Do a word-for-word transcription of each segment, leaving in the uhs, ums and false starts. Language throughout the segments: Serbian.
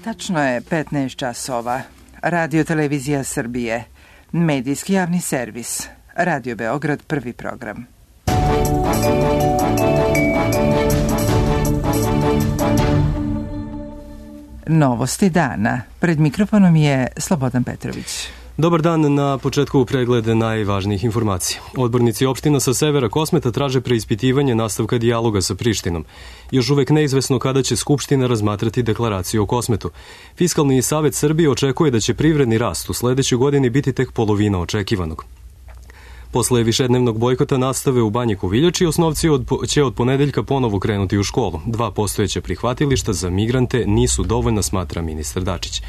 Tačno je petnaest časova. Radio Televizija Srbije. Medijski javni servis. Radio Beograd, prvi program. Novosti dana. Pred mikrofonom je Slobodan Petrović. Dobar dan, na početku pregled najvažnijih informacija. Odbornici opština sa severa Kosmeta traže preispitivanje nastavka dijaloga sa Prištinom. Još uvek neizvesno kada će Skupština razmatrati deklaraciju o Kosmetu. Fiskalni savet Srbije očekuje da će privredni rast u sledećoj godini biti tek polovina očekivanog. Posle višednevnog bojkota nastave u Banji Koviljači, osnovci od, će od ponedeljka ponovo krenuti u školu. Dva postojeća prihvatilišta za migrante nisu dovoljna, smatra ministar Dačić.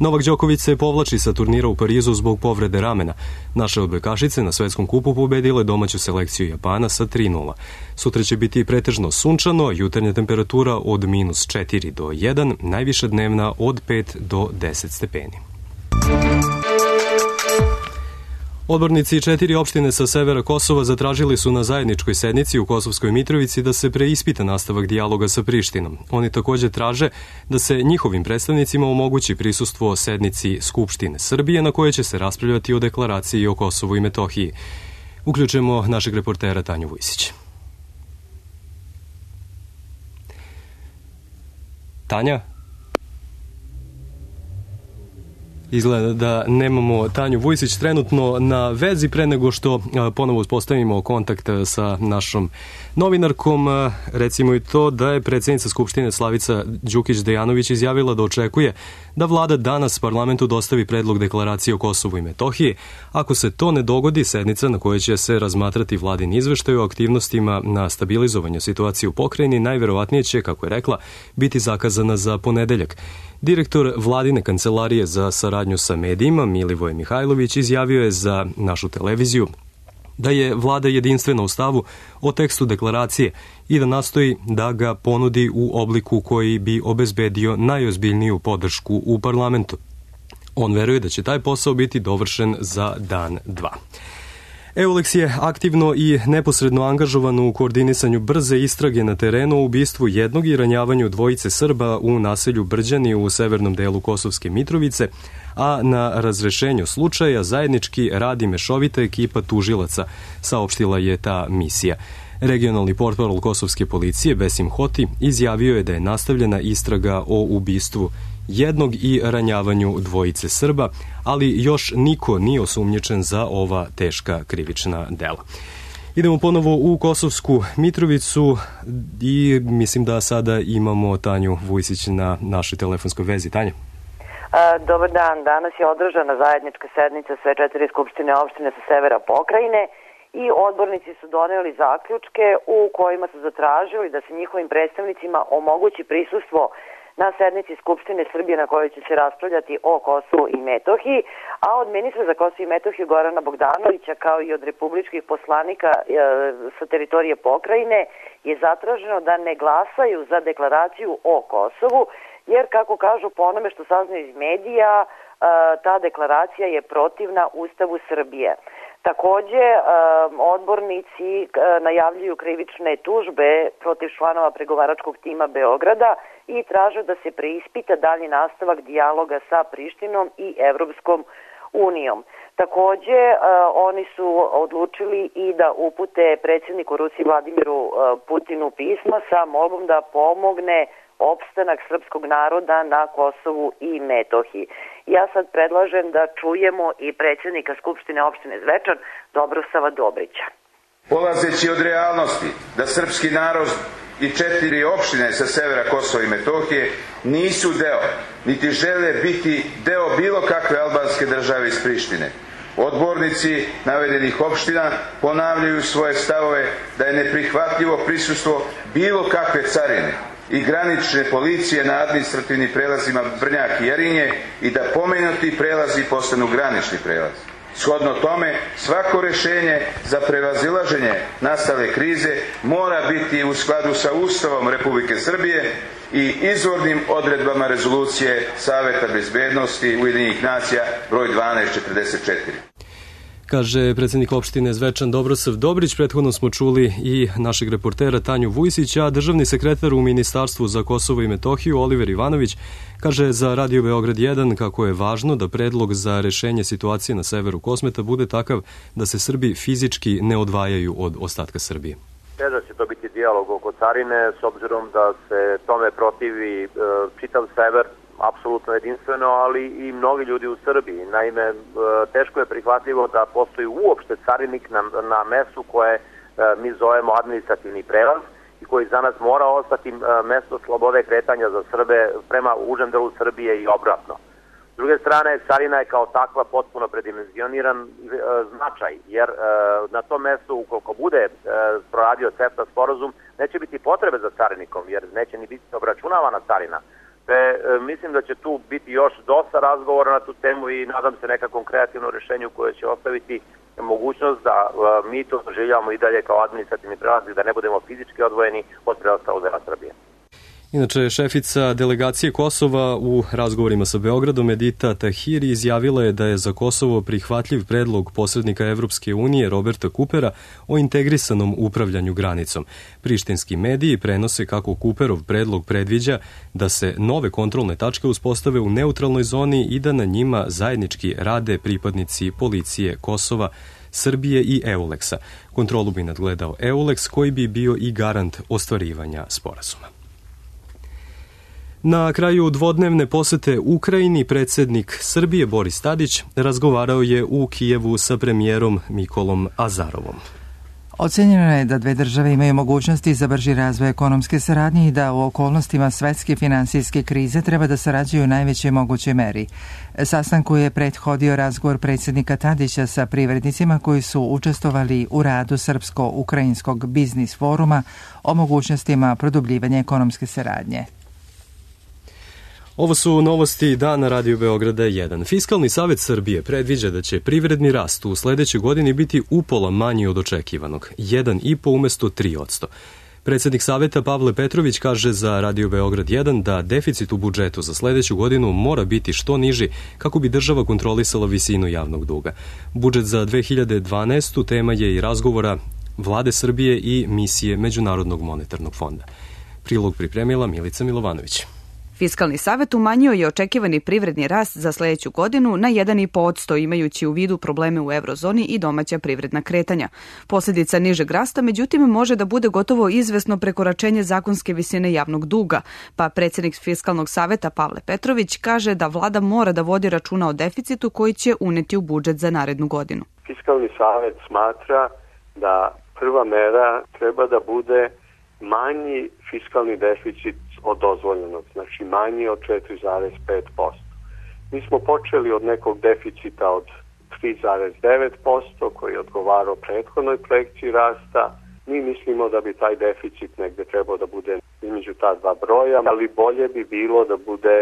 Novak Đoković se povlači sa turnira u Parizu zbog povrede ramena. Naše odbojkašice na svetskom kupu pobedile domaću selekciju Japana sa tri nula. Sutra će biti pretežno sunčano, jutarnja temperatura od minus četiri do jedan, najviša dnevna od pet do deset stepeni. Odbornici četiri opštine sa severa Kosova zatražili su na zajedničkoj sednici u Kosovskoj Mitrovici da se preispita nastavak dijaloga sa Prištinom. Oni takođe traže da se njihovim predstavnicima omogući prisustvo sednici Skupštine Srbije na kojoj će se raspravljati o deklaraciji o Kosovu i Metohiji. Uključujemo našeg reportera Tanju Vujsić. Tanja? Izgleda da nemamo Tanju Vujsić trenutno na vezi. Pre nego što ponovo uspostavimo kontakt sa našom novinarkom, recimo i to da je predsjednica Skupštine Slavica Đukić-Dejanović izjavila da očekuje da vlada danas parlamentu dostavi predlog deklaracije o Kosovu i Metohiji. Ako se to ne dogodi, sednica na kojoj će se razmatrati vladin izveštaj o aktivnostima na stabilizovanju situacije u pokrajini najverovatnije će, kako je rekla, biti zakazana za ponedeljak. Direktor vladine kancelarije za saradnju sa medijima, Milivoje Mihajlović, izjavio je za našu televiziju da je vlada jedinstvena u stavu o tekstu deklaracije i da nastoji da ga ponudi u obliku koji bi obezbedio najozbiljniju podršku u parlamentu. On veruje da će taj posao biti dovršen za dan, dva. Eulex je aktivno i neposredno angažovan u koordinisanju brze istrage na terenu o ubistvu jednog i ranjavanju dvojice Srba u naselju Brđani u severnom delu Kosovske Mitrovice, a na razrešenju slučaja zajednički radi mešovita ekipa tužilaca, saopštila je ta misija. Regionalni portparol Kosovske policije Besim Hoti izjavio je da je nastavljena istraga o ubistvu jednog i ranjavanju dvojice Srba, ali još niko nije osumnjičen za ova teška krivična dela. Idemo ponovo u Kosovsku Mitrovicu i mislim da sada imamo Tanju Vujsić na našoj telefonskoj vezi. Tanja? Dobar dan. Danas je održana zajednička sednica sve četiri skupštine opštine sa severa pokrajine i odbornici su doneli zaključke u kojima su zatražili da se njihovim predstavnicima omogući prisustvo na sednici Skupštine Srbije na kojoj će se raspravljati o Kosovu i Metohiji, a od ministra za Kosovo i Metohiju Gorana Bogdanovića kao i od republičkih poslanika e, sa teritorije pokrajine je zatraženo da ne glasaju za deklaraciju o Kosovu, jer kako kažu po onome što saznaju iz medija, e, ta deklaracija je protivna Ustavu Srbije. Takođe, odbornici najavljuju krivične tužbe protiv članova pregovaračkog tima Beograda i traže da se preispita dalji nastavak dijaloga sa Prištinom i Evropskom unijom. Takođe, oni su odlučili i da upute predsjedniku Rusije Vladimiru Putinu pismo sa molbom da pomogne opstanak srpskog naroda na Kosovu i Metohiji. Ja sad predlažem da čujemo i predsjednika Skupštine opštine Zvečan, Dobrosava Dobrića. Polazeći od realnosti da srpski narod i četiri opštine sa severa Kosova i Metohije nisu deo, niti žele biti deo bilo kakve albanske države iz Prištine. Odbornici navedenih opština ponavljaju svoje stavove da je neprihvatljivo prisustvo bilo kakve carine i granične policije na administrativnim prelazima Brnjak i Jarinje i da pomenuti prelazi postanu granični prelazi. Shodno tome, svako rešenje za prevazilaženje nastale krize mora biti u skladu sa Ustavom Republike Srbije i izvornim odredbama rezolucije Saveta bezbednosti Ujedinjenih nacija broj dvanaest četrdeset četiri. kaže predsjednik opštine Zvečan Dobrosav Dobrić. Prethodno smo čuli i našeg reportera Tanju Vujsića, a državni sekretar u Ministarstvu za Kosovo i Metohiju Oliver Ivanović kaže za Radio Beograd jedan kako je važno da predlog za rešenje situacije na severu Kosmeta bude takav da se Srbi fizički ne odvajaju od ostatka Srbije. Da će to biti dijalog oko carine, s obzirom da se tome protivi e, čitav sever, apsolutno jedinstveno, ali i mnogi ljudi u Srbiji. Naime, e, teško je prihvatljivo da postoji uopšte carinik na, na mestu koje e, mi zovemo administrativni prelaz i koji za nas mora ostati e, mesto slobode kretanja za Srbe prema užem delu Srbije i obratno. S druge strane, carina je kao takva potpuno predimenzioniran e, značaj, jer e, na tom mestu, ukoliko bude e, proradio CEFTA sporazum, neće biti potrebe za carinikom, jer neće ni biti obračunavana carina. Te, e, mislim da će tu biti još dosta razgovora na tu temu i nadam se nekakvom kreativnom rešenju koje će ostaviti mogućnost da e, mi to doživljavamo i dalje kao administrativni prelaz i da ne budemo fizički odvojeni od preostalog dela Srbije. Inače, šefica delegacije Kosova u razgovorima sa Beogradom Edita Tahiri izjavila je da je za Kosovo prihvatljiv predlog posrednika Evropske unije Roberta Kupera o integrisanom upravljanju granicom. Prištinski mediji prenose kako Kuperov predlog predviđa da se nove kontrolne tačke uspostave u neutralnoj zoni i da na njima zajednički rade pripadnici policije Kosova, Srbije i Euleksa. Kontrolu bi nadgledao Euleks koji bi bio i garant ostvarivanja sporazuma. Na kraju dvodnevne posete Ukrajini predsjednik Srbije Boris Tadić razgovarao je u Kijevu sa premijerom Mikolom Azarovom. Ocenjeno je da dve države imaju mogućnosti za brži razvoj ekonomske saradnje i da u okolnostima svetske finansijske krize treba da sarađuju u najvećoj mogućoj meri. Sastanku je prethodio razgovor predsjednika Tadića sa privrednicima koji su učestvovali u radu Srpsko-Ukrajinskog biznis foruma o mogućnostima produbljivanja ekonomske saradnje. Ovo su novosti dana Radio Beograda jedan. Fiskalni savet Srbije predviđa da će privredni rast u sledećoj godini biti upola manji od očekivanog, jedan i po umesto tri odsto. Predsjednik saveta Pavle Petrović kaže za Radio Beograd jedan da deficit u budžetu za sledeću godinu mora biti što niži kako bi država kontrolisala visinu javnog duga. Budžet za dve hiljade dvanaestu. tema je i razgovora Vlade Srbije i misije Međunarodnog monetarnog fonda. Prilog pripremila Milica Milovanović. Fiskalni savet umanjio je očekivani privredni rast za sledeću godinu na jedan i po odsto, imajući u vidu probleme u eurozoni i domaća privredna kretanja. Posljedica nižeg rasta, međutim, može da bude gotovo izvesno prekoračenje zakonske visine javnog duga, pa predsjednik Fiskalnog saveta Pavle Petrović kaže da vlada mora da vodi računa o deficitu koji će uneti u budžet za narednu godinu. Fiskalni savet smatra da prva mera treba da bude manji fiskalni deficit od dozvoljenog, znači manji od četiri zarez pet posto. Mi smo počeli od nekog deficita od tri zarez devet posto koji je odgovarao prethodnoj projekciji rasta. Mi mislimo da bi taj deficit negde trebao da bude između ta dva broja, ali bolje bi bilo da bude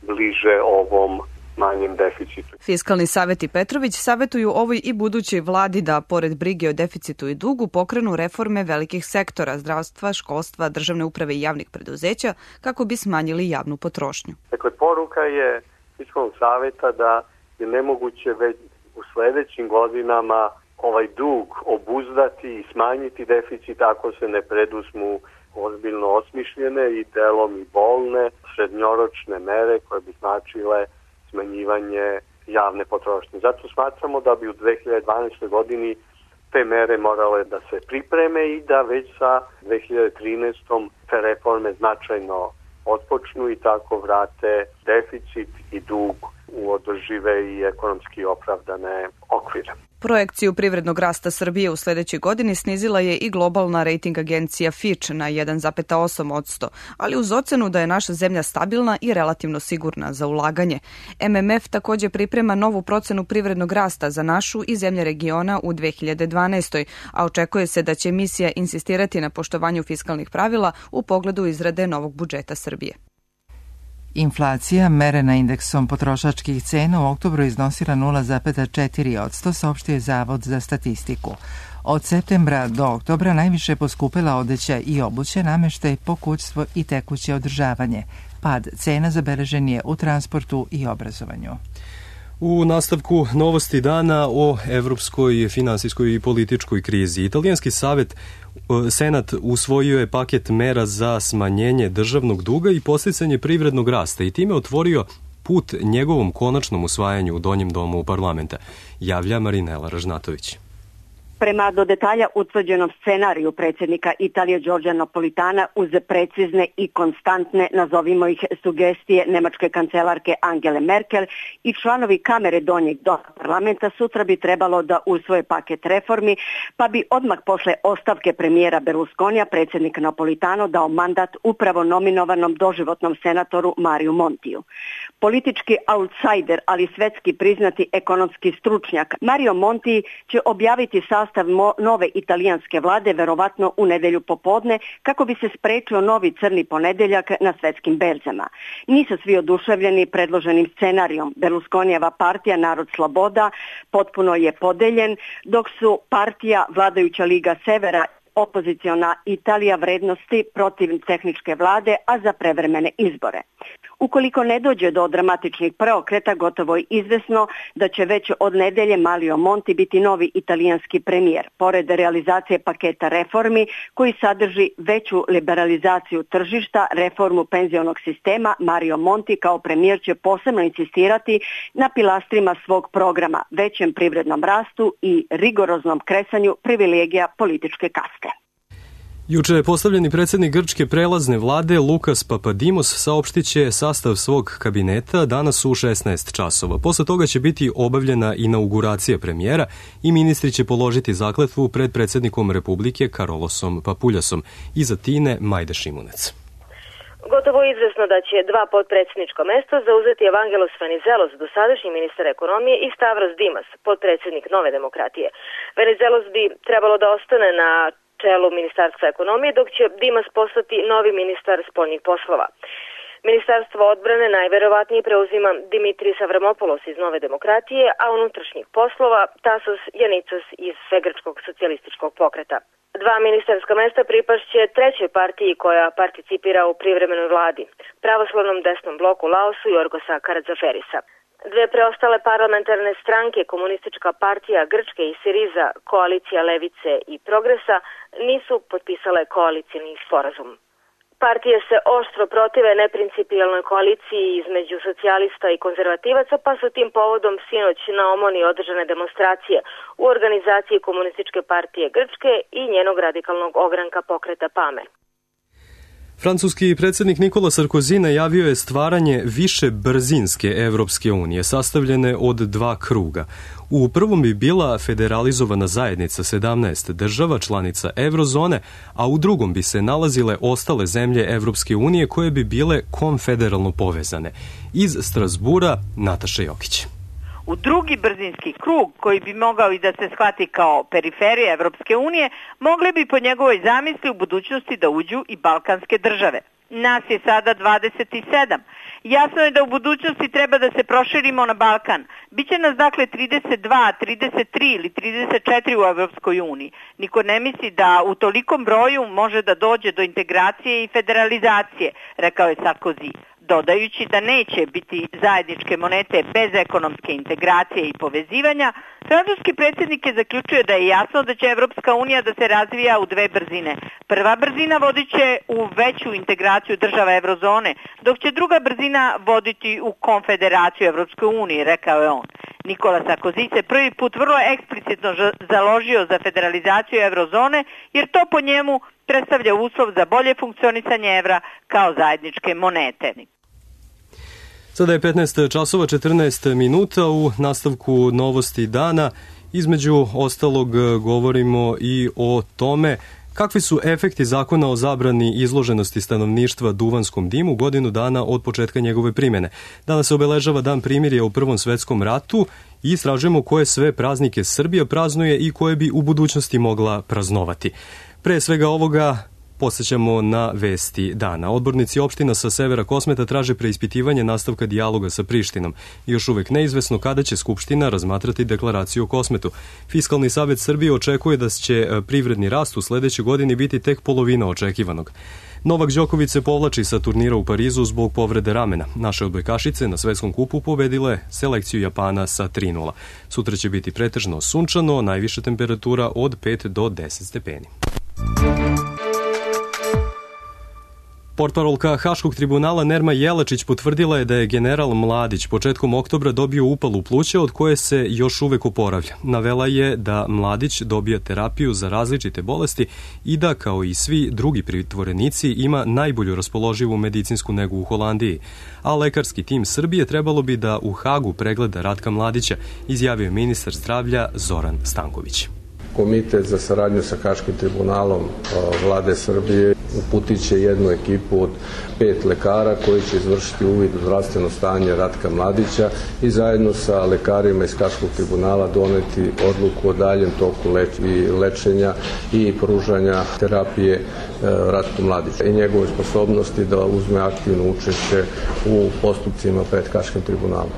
bliže ovom manjem deficitu. Fiskalni savet i Petrović savetuju ovoj i budućoj vladi da, pored brige o deficitu i dugu, pokrenu reforme velikih sektora, zdravstva, školstva, državne uprave i javnih preduzeća, kako bi smanjili javnu potrošnju. Dakle, poruka je Fiskalnog saveta da je nemoguće već u sledećim godinama ovaj dug obuzdati i smanjiti deficit ako se ne preduzmu ozbiljno osmišljene i delom i bolne srednjoročne mere koje bi značile smanjivanje javne potrošnje. Zato smatramo da bi u dve hiljade dvanaestoj. godini te mere morale da se pripreme i da već sa dve hiljade trinaestom. te reforme značajno otpočnu i tako vrate deficit i dug u održive i ekonomski opravdane okvire. Projekciju privrednog rasta Srbije u sledećoj godini snizila je i globalna rating agencija Fitch na jedan zarez osam odsto, ali uz ocenu da je naša zemlja stabilna i relativno sigurna za ulaganje. M M F takođe priprema novu procenu privrednog rasta za našu i zemlje regiona u dve hiljade dvanaestoj. a očekuje se da će misija insistirati na poštovanju fiskalnih pravila u pogledu izrade novog budžeta Srbije. Inflacija, merena indeksom potrošačkih cena, u oktobru iznosila nula zarez četiri odsto, saopštio je Zavod za statistiku. Od septembra do oktobra najviše poskupila odeća i obuće, nameštaj, pokućstvo i tekuće održavanje. Pad cena zabeležen je u transportu i obrazovanju. U nastavku novosti dana o evropskoj finansijskoj i političkoj krizi. Italijanski savet, Senat usvojio je paket mera za smanjenje državnog duga i podsticanje privrednog rasta i time otvorio put njegovom konačnom usvajanju u Donjem domu parlamenta, javlja Marinela Ražnatović. Prema do detalja utvrđenom scenariju predsjednika Italije Giorgia Napolitana uz precizne i konstantne, nazovimo ih, sugestije nemačke kancelarke Angele Merkel i članovi kamere Donjeg doma parlamenta sutra bi trebalo da usvoje paket reformi, pa bi odmah posle ostavke premijera Berlusconija predsjednik Napolitano dao mandat upravo nominovanom doživotnom senatoru Mariju Montiju. Politički outsider, ali svetski priznati ekonomski stručnjak Mario Monti će objaviti sastav nove italijanske vlade verovatno u nedelju popodne kako bi se sprečio novi crni ponedeljak na svetskim berzama. Nisu svi oduševljeni predloženim scenarijom. Berlusconijeva partija Narod sloboda potpuno je podeljen, dok su partija Vladajuća Liga Severa opoziciona Italija vrednosti protiv tehničke vlade, a za prevremene izbore. Ukoliko ne dođe do dramatičnih preokreta, gotovo je izvesno da će već od nedelje Mario Monti biti novi italijanski premijer. Pored realizacije paketa reformi koji sadrži veću liberalizaciju tržišta, reformu penzionog sistema, Mario Monti kao premijer će posebno insistirati na pilastrima svog programa, većem privrednom rastu i rigoroznom kresanju privilegija političke kaste. Juče je postavljeni predsjednik grčke prelazne vlade Lukas Papadimos saopštit će sastav svog kabineta danas u šesnaest časova. Posle toga će biti obavljena inauguracija premijera i ministri će položiti zakletvu pred predsjednikom Republike Karolosom Papuljasom. Iza Tine Majda Šimunec. Gotovo je izvesno da će dva potpredsjednička mesta zauzeti Evangelos Venizelos, dosadašnji ministar ekonomije, i Stavros Dimas, potpredsjednik Nove demokratije. Venizelos bi trebalo da ostane na čelu Ministarstva ekonomije, dok će Dimas postati novi ministar spoljnih poslova. Ministarstvo odbrane najverovatnije preuzima Dimitris Avramopoulos iz Nove demokratije, a unutrašnjih poslova Tasos Janicas iz Svegrčkog socijalističkog pokreta. Dva ministarska mesta pripašće trećoj partiji koja participira u privremenoj vladi, pravoslavnom desnom bloku Laosu Jorgosa Karadzaferisa. Dve preostale parlamentarne stranke, Komunistička partija Grčke i Siriza, Koalicija Levice i Progresa, nisu potpisale koalicijni sporazum. Partije se oštro protive neprincipijalnoj koaliciji između socijalista i konzervativaca, pa su tim povodom sinoć na Omoni održane demonstracije u organizaciji Komunističke partije Grčke i njenog radikalnog ogranka pokreta PAME. Francuski predsjednik Nikola Sarkozy najavio je stvaranje više brzinske Evropske unije, sastavljene od dva kruga. U prvom bi bila federalizovana zajednica sedamnaest država članica Eurozone, a u drugom bi se nalazile ostale zemlje Evropske unije koje bi bile konfederalno povezane. Iz Strasbura Nataša Jokić. U drugi brzinski krug, koji bi mogao i da se shvati kao periferija Evropske unije, mogli bi po njegovoj zamisli u budućnosti da uđu i balkanske države. Nas je sada dvadeset sedam. Jasno je da u budućnosti treba da se proširimo na Balkan. Biće nas dakle trideset dva, trideset tri ili trideset četiri u Evropskoj uniji. Niko ne misli da u tolikom broju može da dođe do integracije i federalizacije, rekao je Sarkozy, dodajući da neće biti zajedničke monete bez ekonomske integracije i povezivanja. Francuski predsjednik je zaključio da je jasno da će Evropska unija da se razvija u dve brzine. Prva brzina vodit će u veću integraciju država Eurozone, dok će druga brzina voditi u konfederaciju Evropske unije, rekao je on. Nikola Sarkozy se prvi put vrlo eksplicitno založio za federalizaciju Eurozone, jer to po njemu predstavlja uslov za bolje funkcionisanje evra kao zajedničke monete. Sada je petnaest časova četrnaest minuta. U nastavku novosti dana između ostalog govorimo i o tome kakvi su efekti zakona o zabrani izloženosti stanovništva duvanskom dimu godinu dana od početka njegove primjene. Danas se obeležava Dan primirja u Prvom svetskom ratu i istražujemo koje sve praznike Srbija praznuje i koje bi u budućnosti mogla praznovati. Pre svega ovoga podsjećamo na vesti dana. Odbornici opština sa severa Kosmeta traže preispitivanje nastavka dijaloga sa Prištinom. Još uvek neizvesno kada će Skupština razmatrati deklaraciju o Kosmetu. Fiskalni savet Srbije očekuje da će privredni rast u sledećoj godini biti tek polovina očekivanog. Novak Đoković se povlači sa turnira u Parizu zbog povrede ramena. Naše odbojkašice na svetskom kupu pobedile selekciju Japana sa tri nula. Sutra će biti pretežno sunčano, najviša temperatura od pet do deset stepeni. Portparolka Haškog tribunala Nerma Jelačić potvrdila je da je general Mladić početkom oktobra dobio upalu pluća od koje se još uvek oporavlja. Navela je da Mladić dobija terapiju za različite bolesti i da, kao i svi drugi pritvorenici, ima najbolju raspoloživu medicinsku negu u Holandiji. A lekarski tim Srbije trebalo bi da u Hagu pregleda Ratka Mladića, izjavio je ministar zdravlja Zoran Stanković. Komitet za saradnju sa Haškim tribunalom vlade Srbije uputit će jednu ekipu od pet lekara koji će izvršiti uvid u zdravstveno stanje Ratka Mladića i zajedno sa lekarima iz Haškog tribunala doneti odluku o daljem toku lečenja i pružanja terapije Ratku Mladiću i njegove sposobnosti da uzme aktivno učešće u postupcima pred Haškim tribunalom.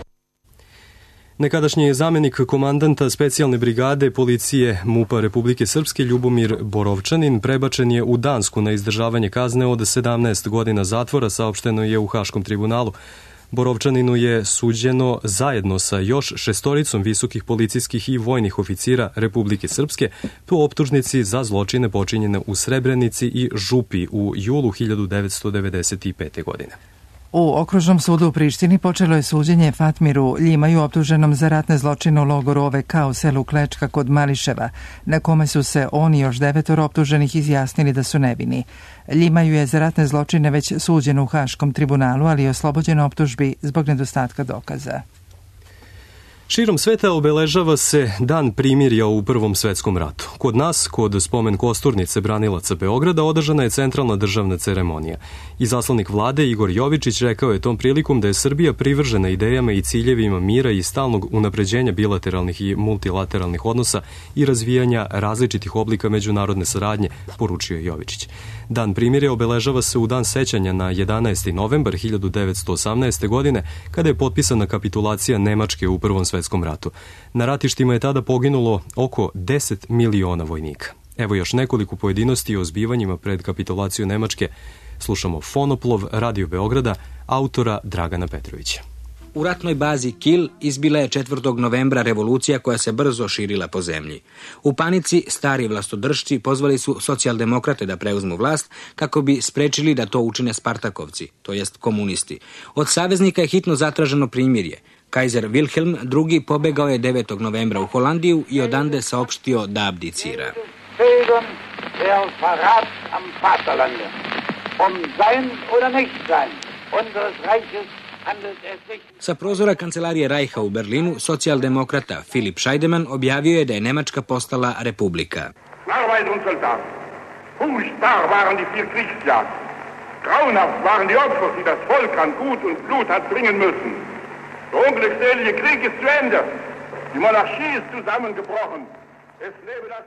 Nekadašnji zamenik komandanta specijalne brigade policije MUP-a Republike Srpske Ljubomir Borovčanin prebačen je u Dansku na izdržavanje kazne od sedamnaest godina zatvora, saopšteno je u Haškom tribunalu. Borovčaninu je suđeno zajedno sa još šestoricom visokih policijskih i vojnih oficira Republike Srpske po optužnici za zločine počinjene u Srebrenici i Župi u julu hiljadu devetsto devedeset pete. godine. U Okružnom sudu u Prištini počelo je suđenje Fatmiru Ljimaju, optuženom za ratne zločine u logoru O V K u selu Klečka kod Mališeva, na kome su se on i još devetoro optuženih izjasnili da su nevini. Ljimaju je za ratne zločine već suđen u Haškom tribunalu, ali je oslobođen optužbi zbog nedostatka dokaza. Širom sveta obeležava se Dan primirja u Prvom svetskom ratu. Kod nas, kod spomen kosturnice branilaca Beograda, održana je centralna državna ceremonija. Izaslanik vlade Igor Jovičić rekao je tom prilikom da je Srbija privržena idejama i ciljevima mira i stalnog unapređenja bilateralnih i multilateralnih odnosa i razvijanja različitih oblika međunarodne saradnje, poručio je Jovičić. Dan primirja obeležava se u dan sećanja na jedanaesti novembar hiljadu devetsto osamnaeste. godine, kada je potpisana kapitulacija Nemačke u Prvom svetskom ratu. Na ratištima je tada poginulo oko deset miliona vojnika. Evo još nekoliko pojedinosti o zbivanjima pred kapitulaciju Nemačke. Slušamo Fonoplov Radio Beograda, autora Dragana Petrovića. U ratnoj bazi Kil izbila je četvrtog novembra revolucija koja se brzo širila po zemlji. U panici stari vlastodržci pozvali su socijaldemokrate da preuzmu vlast kako bi sprečili da to učine Spartakovci, to jest komunisti. Od saveznika je hitno zatraženo primirje. Kajzer Wilhelm drugi pobegao je devetog novembra u Holandiju i odande saopštio da abdicira. Sa prozora kancelarije Reicha u Berlinu, socijaldemokrata Filip Scheidemann objavio je da je Nemačka postala republika. Arbeit und Soldat. Furchtbar waren die vier Kriegsjahre. Grauenhaft waren die Opfer, die das Volk an Gut und Blut hat bringen müssen. Der unglückselige Krieg ist zu Ende. Die Monarchie ist zusammengebrochen. Es lebe das...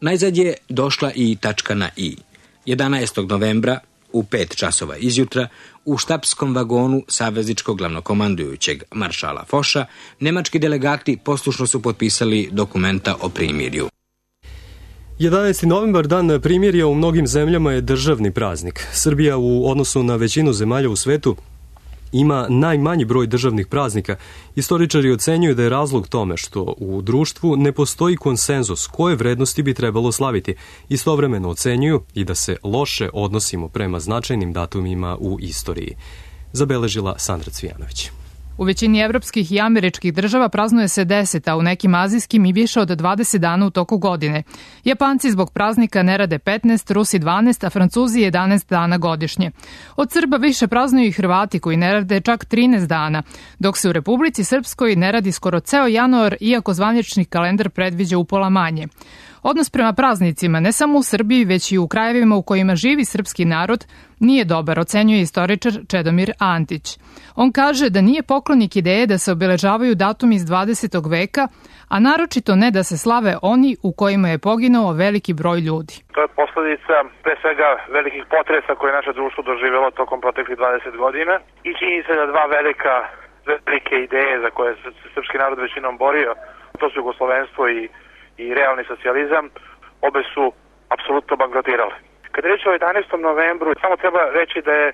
Najzad je došla i tačka na i. jedanaestog novembra u pet časova izjutra u štabskom vagonu savezničkog glavnokomandujućeg maršala Foša nemački delegati poslušno su potpisali dokumenta o primirju. jedanaesti novembar, dan primirja, u mnogim zemljama je državni praznik. Srbija u odnosu na većinu zemalja u svetu ima najmanji broj državnih praznika. Istoričari ocenjuju da je razlog tome što u društvu ne postoji konsenzus koje vrednosti bi trebalo slaviti. Istovremeno ocenjuju i da se loše odnosimo prema značajnim datumima u istoriji. Zabeležila Sandra Cvijanović. U većini evropskih i američkih država praznuje se deset, a u nekim azijskim i više od dvadeset dana u toku godine. Japanci zbog praznika ne rade petnaest, Rusi dvanaest, a Francuzi jedanaest dana godišnje. Od Srba više praznuju i Hrvati koji ne rade čak trinaest dana, dok se u Republici Srpskoj ne radi skoro ceo januar, iako zvanični kalendar predviđa upola manje. Odnos prema praznicima, ne samo u Srbiji, već i u krajevima u kojima živi srpski narod, nije dobar, ocenjuje istoričar Čedomir Antić. On kaže da nije poklonik ideje da se obeležavaju datumi iz dvadesetog veka, a naročito ne da se slave oni u kojima je poginuo veliki broj ljudi. To je posledica pre svega velikih potresa koje je naše društvo doživjelo tokom proteklih dvadeset godina i čini se da dva velika, velike ideje za koje se srpski narod većinom borio, to su jugoslovenstvo i i realni socijalizam, obe su apsolutno bankrotirale. Kad je reč o jedanaestom novembru, samo treba reći da je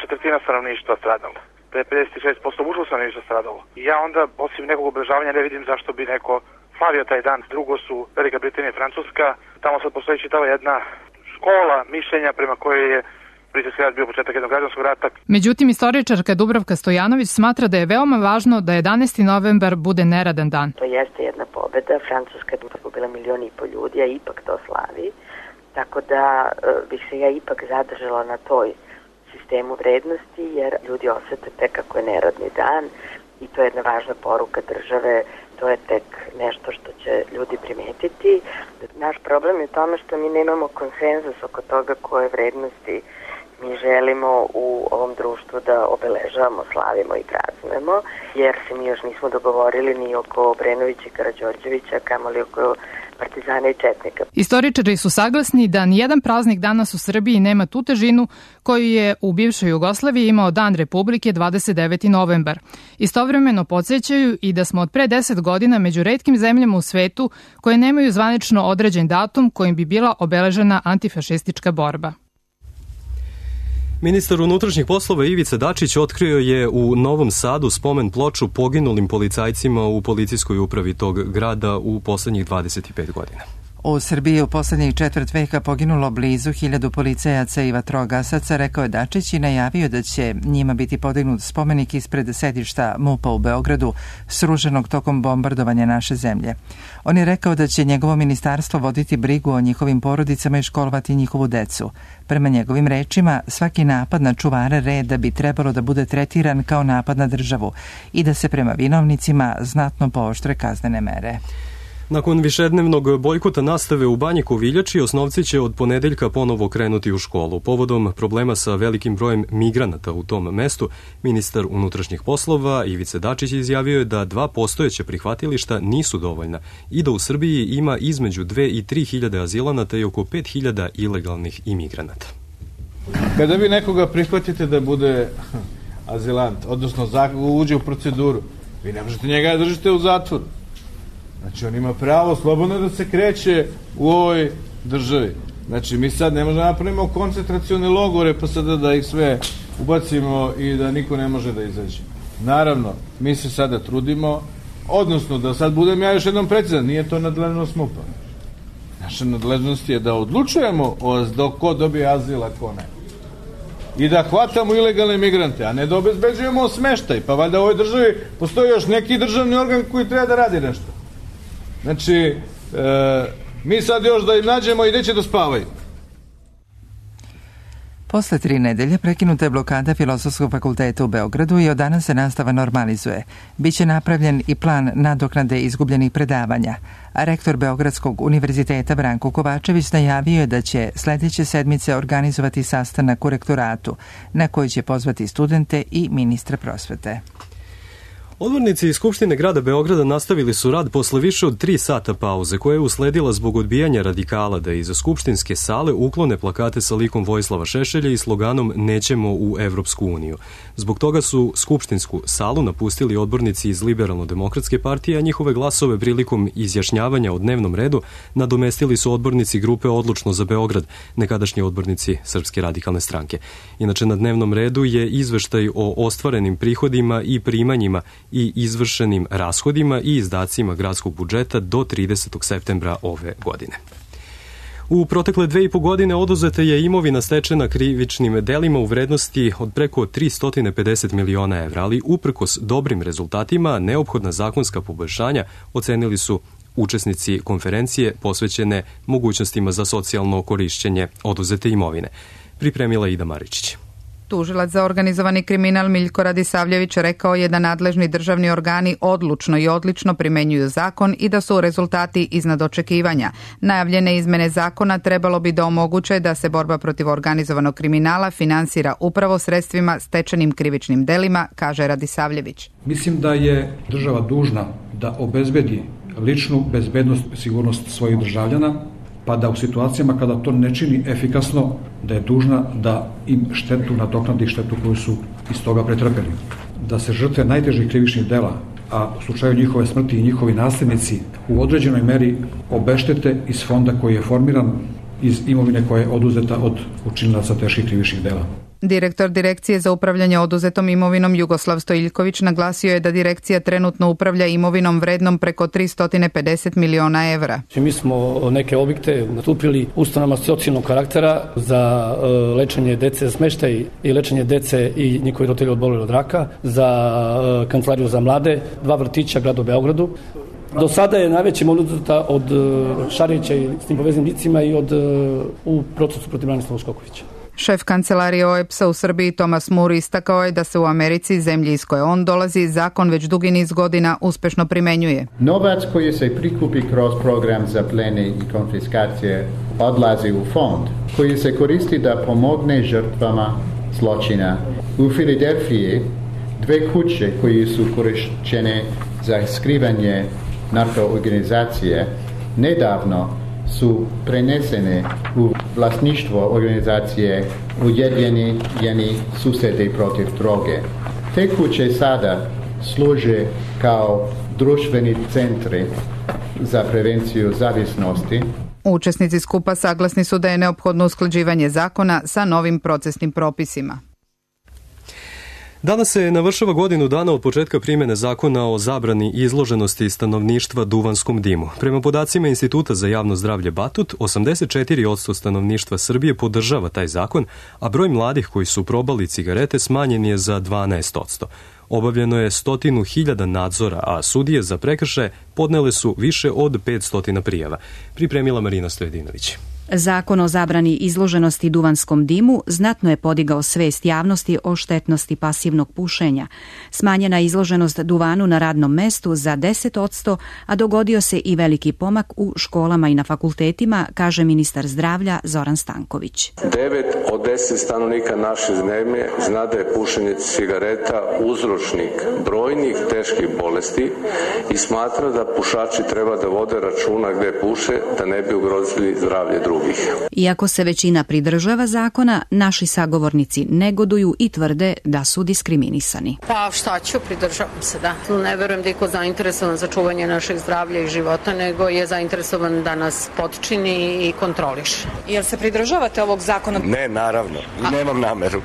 četvrtina stanovništva stradala. Da je pedeset šest posto muško stanovništva stradalo. I ja onda, osim nekog obeležavanja, ne vidim zašto bi neko slavio taj dan. Drugo su Velika Britanija i Francuska. Tamo sad postoji čitava jedna škola mišljenja prema kojoj je Britanski rat bio početak jednog građanskog rata. Međutim, istoričarka Dubravka Stojanović smatra da je veoma važno da jedanaesti novembar bude neradan dan. To jeste jedna pobeda. Francuska je pobila milion i po ljudi, a ipak to slavi. Tako da bih se ja ipak zadržala na toj sistemu vrednosti, jer ljudi osete tek kako je neradni dan i to je jedna važna poruka države, to je tek nešto što će ljudi primetiti. Naš problem je u tome što mi nemamo konsenzus oko toga koje vrednosti mi želimo u ovom društvu da obeležavamo, slavimo i praznujemo, jer se mi još nismo dogovorili ni oko Obrenovića i Karađorđevića, kamoli oko partizana i četnika. Istoričari su saglasni da nijedan praznik danas u Srbiji nema tu težinu koju je u bivšoj Jugoslaviji imao Dan Republike dvadeset deveti novembar. Istovremeno podsjećaju i da smo od pre deset godina među retkim zemljama u svetu koje nemaju zvanično određen datum kojim bi bila obeležena antifašistička borba. Ministar unutrašnjih poslova Ivica Dačić otkrio je u Novom Sadu spomen ploču poginulim policajcima u policijskoj upravi tog grada u poslednjih dvadeset pet godina. U Srbiji je u poslednjih četvrt veka poginulo blizu hiljadu policajaca i vatrogasaca, rekao je Dačić i najavio da će njima biti podignut spomenik ispred sedišta MUP-a u Beogradu, sruženog tokom bombardovanja naše zemlje. On je rekao da će njegovo ministarstvo voditi brigu o njihovim porodicama i školovati njihovu decu. Prema njegovim rečima, svaki napad na čuvare reda bi trebalo da bude tretiran kao napad na državu i da se prema vinovnicima znatno pooštre kaznene mere. Nakon višednevnog bojkota nastave u Banji Koviljači, osnovci će od ponedeljka ponovo krenuti u školu. Povodom problema sa velikim brojem migranata u tom mestu, ministar unutrašnjih poslova Ivica Dačić izjavio je da dva postojeća prihvatilišta nisu dovoljna i da u Srbiji ima između dve i tri hiljade azilanata i oko pet hiljada ilegalnih imigranata. Kada vi nekoga prihvatite da bude azilant, odnosno uđe u proceduru, vi ne možete njega da držite u zatvoru. Znači, on ima pravo slobodno da se kreće u ovoj državi. Znači, mi sad ne možemo napravimo koncentracione logore, pa sada da ih sve ubacimo i da niko ne može da izađe. Naravno, mi se sada trudimo, odnosno da sad budem ja još jednom precizan, nije to nadležnost MUP-a. Naša nadležnost je da odlučujemo o ko dobije azil, a ko ne. I da hvatamo ilegalne migrante, a ne da obezbeđujemo smeštaj. Pa valjda u ovoj državi postoji još neki državni organ koji treba da radi nešto. Znači, e, mi sad još da im nađemo i gde će da spavaju. Posle tri nedelje prekinuta je blokada Filozofskog fakulteta u Beogradu i od danas se nastava normalizuje. Biće napravljen i plan nadoknade izgubljenih predavanja, a rektor Beogradskog univerziteta Branko Kovačević najavio je da će sledeće sedmice organizovati sastanak u rektoratu, na koji će pozvati studente i ministra prosvete. Odbornici iz Skupštine grada Beograda nastavili su rad posle više od tri sata pauze, koja je usledila zbog odbijanja radikala da iz skupštinske sale uklone plakate sa likom Vojislava Šešelja i sloganom Nećemo u Evropsku uniju. Zbog toga su skupštinsku salu napustili odbornici iz Liberalno-demokratske partije, a njihove glasove prilikom izjašnjavanja o dnevnom redu nadomestili su odbornici grupe Odlučno za Beograd, nekadašnji odbornici Srpske radikalne stranke. Inače, na dnevnom redu je izveštaj o ostvarenim prihodima i primanjima i izvršenim rashodima i izdacima gradskog budžeta do tridesetog septembra ove godine. U protekle dve i po godine oduzeta je imovina stečena krivičnim delima u vrednosti od preko tristo pedeset miliona evra, ali uprkos dobrim rezultatima neophodna zakonska poboljšanja ocenili su učesnici konferencije posvećene mogućnostima za socijalno korišćenje oduzete imovine. Pripremila Ida Maričić. Tužilac za organizovani kriminal Miljko Radisavljević rekao je da nadležni državni organi odlučno i odlično primenjuju zakon i da su rezultati iznad očekivanja. Najavljene izmene zakona trebalo bi da omoguće da se borba protiv organizovanog kriminala finansira upravo sredstvima stečenim krivičnim delima, kaže Radisavljević. Mislim da je država dužna da obezbedi ličnu bezbednost i sigurnost svojih državljana, pa da u situacijama kada to ne čini efikasno, da je dužna da im štetu nadoknadi štetu koju su iz toga pretrpeli. Da se žrtve najtežih krivičnih dela, a u slučaju njihove smrti i njihovi nasljednici u određenoj meri obeštete iz fonda koji je formiran iz imovine koja je oduzeta od učinilaca teških krivičnih dela. Direktor Direkcije za upravljanje oduzetom imovinom Jugoslav Stojiljković naglasio je da direkcija trenutno upravlja imovinom vrednom preko tristo pedeset miliona evra. Mi smo neke objekte nastupili ustanovama socijalnog karaktera za lečenje dece za smeštaj i lečenje dece i njihovi roditelji oboleli od raka, za kancelariju za mlade, dva vrtića grada u Beogradu. Do sada je najveća imovina oduzeta od Šarića i s tim povezanim licima i od u procesu protiv Branislava Skokovića. Šef kancelarije O E P S-a u Srbiji Tomas Moore istakao je da se u Americi, zemlji iz koje on dolazi, zakon već dugi niz godina uspešno primenjuje. Novac koji se prikupi kroz program za plene i konfiskacije odlazi u fond koji se koristi da pomogne žrtvama zločina. U Filadelfiji dve kuće koje su korišćene za skrivanje narkoorganizacije nedavno su prenesene u vlasništvo organizacije Ujedinjeni susedi protiv droge. Te kuće sada služe kao društveni centri za prevenciju zavisnosti. Učesnici skupa saglasni su da je neophodno usklađivanje zakona sa novim procesnim propisima. Danas se navršava godinu dana od početka primjene zakona o zabrani izloženosti stanovništva duvanskom dimu. Prema podacima Instituta za javno zdravlje Batut, osamdeset četiri posto stanovništva Srbije podržava taj zakon, a broj mladih koji su probali cigarete smanjen je za dvanaest posto. Obavljeno je stotinu hiljada nadzora, a sudije za prekršaje podnele su više od petsto prijava. Pripremila Marina Stojedinović. Zakon o zabrani izloženosti duvanskom dimu znatno je podigao svest javnosti o štetnosti pasivnog pušenja. Smanjena je izloženost duvanu na radnom mestu za deset posto, a dogodio se i veliki pomak u školama i na fakultetima, kaže ministar zdravlja Zoran Stanković. devet od deset stanovnika naše zemlje zna da je pušenje cigareta uzročnik brojnih teških bolesti i smatra da pušači treba da vode računa gde puše, da ne bi ugrozili zdravlje drugih. Iako se većina pridržava zakona, naši sagovornici negoduju i tvrde da su diskriminisani. Pa šta ću, pridržavam se, da. Ne verujem da je ko zainteresovan za čuvanje našeg zdravlja i života, nego je zainteresovan da nas potčini i kontroliše. Jel se pridržavate ovog zakona? Ne, naravno. I nemam nameru.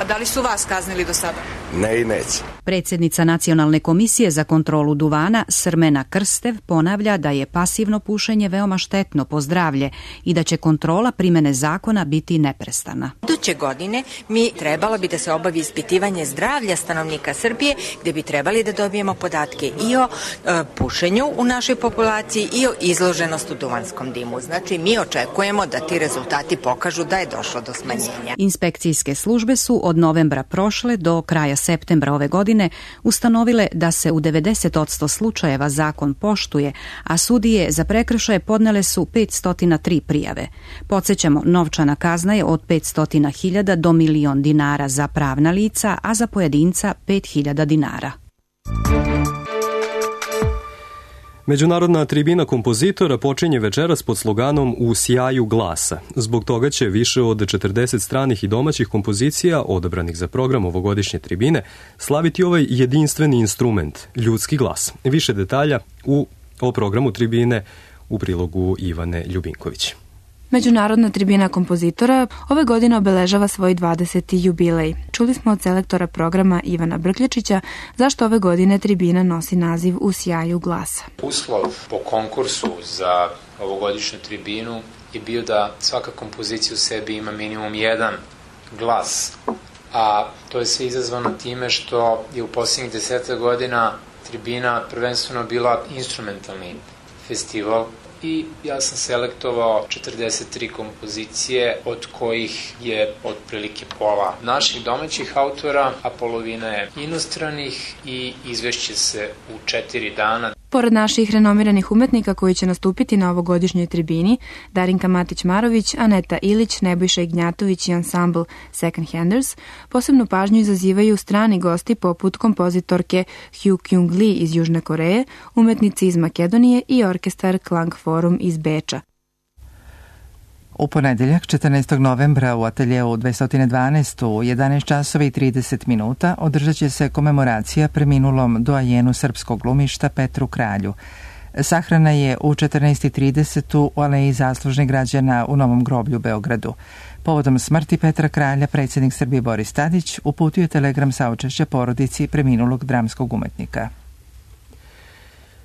A da li su vas kaznili do sada? Ne i neće. Predsjednica Nacionalne komisije za kontrolu duvana Srmena Krstev ponavlja da je pasivno pušenje veoma štetno po zdravlje i da će kontrola primene zakona biti neprestana. Iduće godine mi trebalo bi da se obavi ispitivanje zdravlja stanovnika Srbije, gde bi trebali da dobijemo podatke i o e, pušenju u našoj populaciji i o izloženosti duvanskom dimu. Znači mi očekujemo da ti rezultati pokažu da je došlo do smanjenja. Inspekcijske službe su od novembra prošle do kraja septembra ove godine ustanovile da se u devedeset posto slučajeva zakon poštuje, a sudije za prekršaje podnele su petsto tri prijave. Podsjećamo, novčana kazna je od petsto hiljada do milion dinara za pravna lica, a za pojedinca pet hiljada dinara. Međunarodna tribina kompozitora počinje večeras pod sloganom U sjaju glasa. Zbog toga će više od četrdeset stranih i domaćih kompozicija, odabranih za program ovogodišnje tribine, slaviti ovaj jedinstveni instrument, ljudski glas. Više detalja u, o programu tribine u prilogu Ivane Ljubinković. Međunarodna tribina kompozitora ove godine obeležava svoj dvadeseti jubilej. Čuli smo od selektora programa Ivana Brkljačića zašto ove godine tribina nosi naziv U sjaju glasa. Uslov po konkursu za ovogodišnju tribinu je bio da svaka kompozicija u sebi ima minimum jedan glas, a to je sve izazvano time što je u posljednjih deseta godina tribina prvenstveno bila instrumentalni festival i ja sam selektovao četrdeset tri kompozicije, od kojih je otprilike pola naših domaćih autora, a polovina je inostranih i izvešće se u četiri dana. Pored naših renomiranih umetnika koji će nastupiti na ovogodišnjoj tribini, Darinka Matić-Marović, Aneta Ilić, Nebojša Ignjatović i ansambl Second Handers, posebnu pažnju izazivaju strani gosti poput kompozitorke Hugh Kyung Lee iz Južne Koreje, umetnici iz Makedonije i orkestar Klang Forum iz Beča. U ponedeljak, četrnaestog novembra u ateljeu dvesta dvanaest u jedanaest časova i trideset minuta održat će se komemoracija preminulom doajenu srpskog glumišta Petru Kralju. Sahrana je u četrnaest i trideset u Aleji zaslužnih građana u Novom groblju u Beogradu. Povodom smrti Petra Kralja, predsjednik Srbije Boris Tadić uputio telegram saučešća porodici preminulog dramskog umetnika.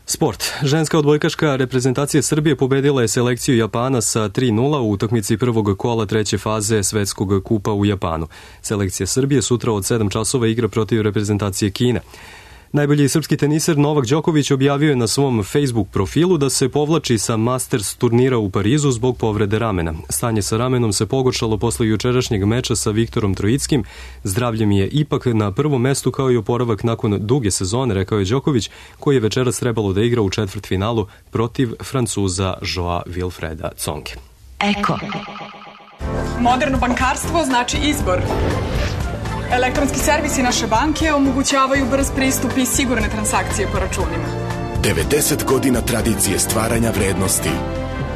Sport. Ženska odbojkaška reprezentacija Srbije pobedila je selekciju Japana sa tri nula u utakmici prvog kola treće faze Svetskog kupa u Japanu. Selekcija Srbije sutra od sedam časova igra protiv reprezentacije Kine. Najbolji srpski teniser Novak Đoković objavio je na svom Facebook profilu da se povlači sa Masters turnira u Parizu zbog povrede ramena. Stanje sa ramenom se pogoršalo posle jučerašnjeg meča sa Viktorom Trojickim. Zdravlje mi je ipak na prvom mestu kao i oporavak nakon duge sezone, rekao je Đoković, koji je večeras trebalo da igra u četvrtfinalu protiv Francuza Joa Wilfreda Tsonge. Eko. Moderno bankarstvo znači izbor. Elektronski servisi naše banke omogućavaju brz pristup i sigurne transakcije po računima. devedeset godina tradicije stvaranja vrednosti.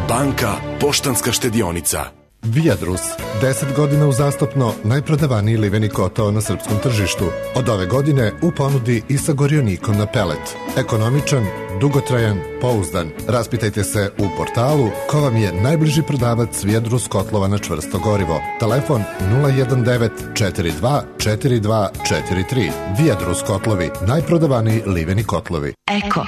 Banka Poštanska štedionica. Viadrus, deset godina uzastopno najprodavaniji liveni kotao na srpskom tržištu. Od ove godine u ponudi i sa gorionikom na pelet. Ekonomičan, dugotrajan, pouzdan. Raspitajte se u portalu ko vam je najbliži prodavac Viadrus kotlova na čvrsto gorivo. Telefon nula jedan devet četiri dva četiri dva četiri tri. Viadrus kotlovi, najprodavaniji liveni kotlovi. Eko.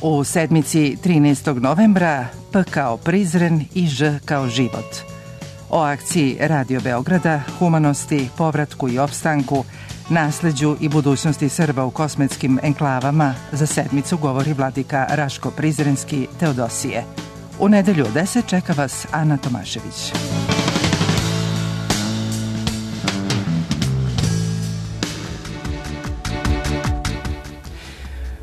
U sedmici trinaestog novembra P kao Prizren i Ž kao život. O akciji Radio Beograda, humanosti, povratku i opstanku, nasleđu i budućnosti Srba u kosmetskim enklavama za sedmicu govori vladika Raško Prizrenski Teodosije. U nedelju u deset čeka vas Ana Tomašević.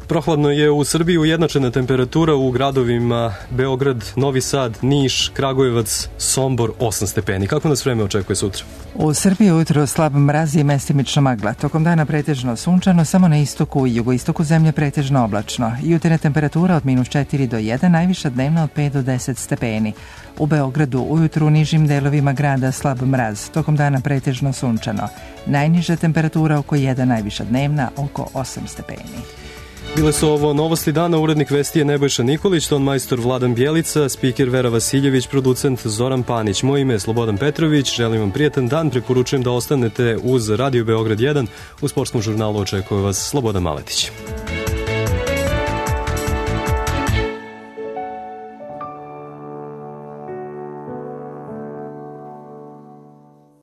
Prohladno je u Srbiji, ujednačena temperatura u gradovima Beograd, Novi Sad, Niš, Kragujevac, Sombor, osam stepeni. Kako nas vreme očekuje sutra? U Srbiji ujutro slab mraz i mestimična magla. Tokom dana pretežno sunčano, samo na istoku i jugoistoku zemlje pretežno oblačno. Jutarnja temperatura od minus četiri do jedan, najviša dnevna od pet do deset stepeni. U Beogradu ujutru u nižim delovima grada slab mraz. Tokom dana pretežno sunčano. Najniža temperatura oko jedan, najviša dnevna oko osam stepeni. Bile su ovo novosti dana, urednik vesti je Nebojša Nikolić, ton majstor Vladan Bjelica, spiker Vera Vasiljević, producent Zoran Panić. Moje ime je Slobodan Petrović, želim vam prijatan dan, preporučujem da ostanete uz Radio Beograd jedan, u sportskom žurnalu očekuje vas Slobodan Maletić.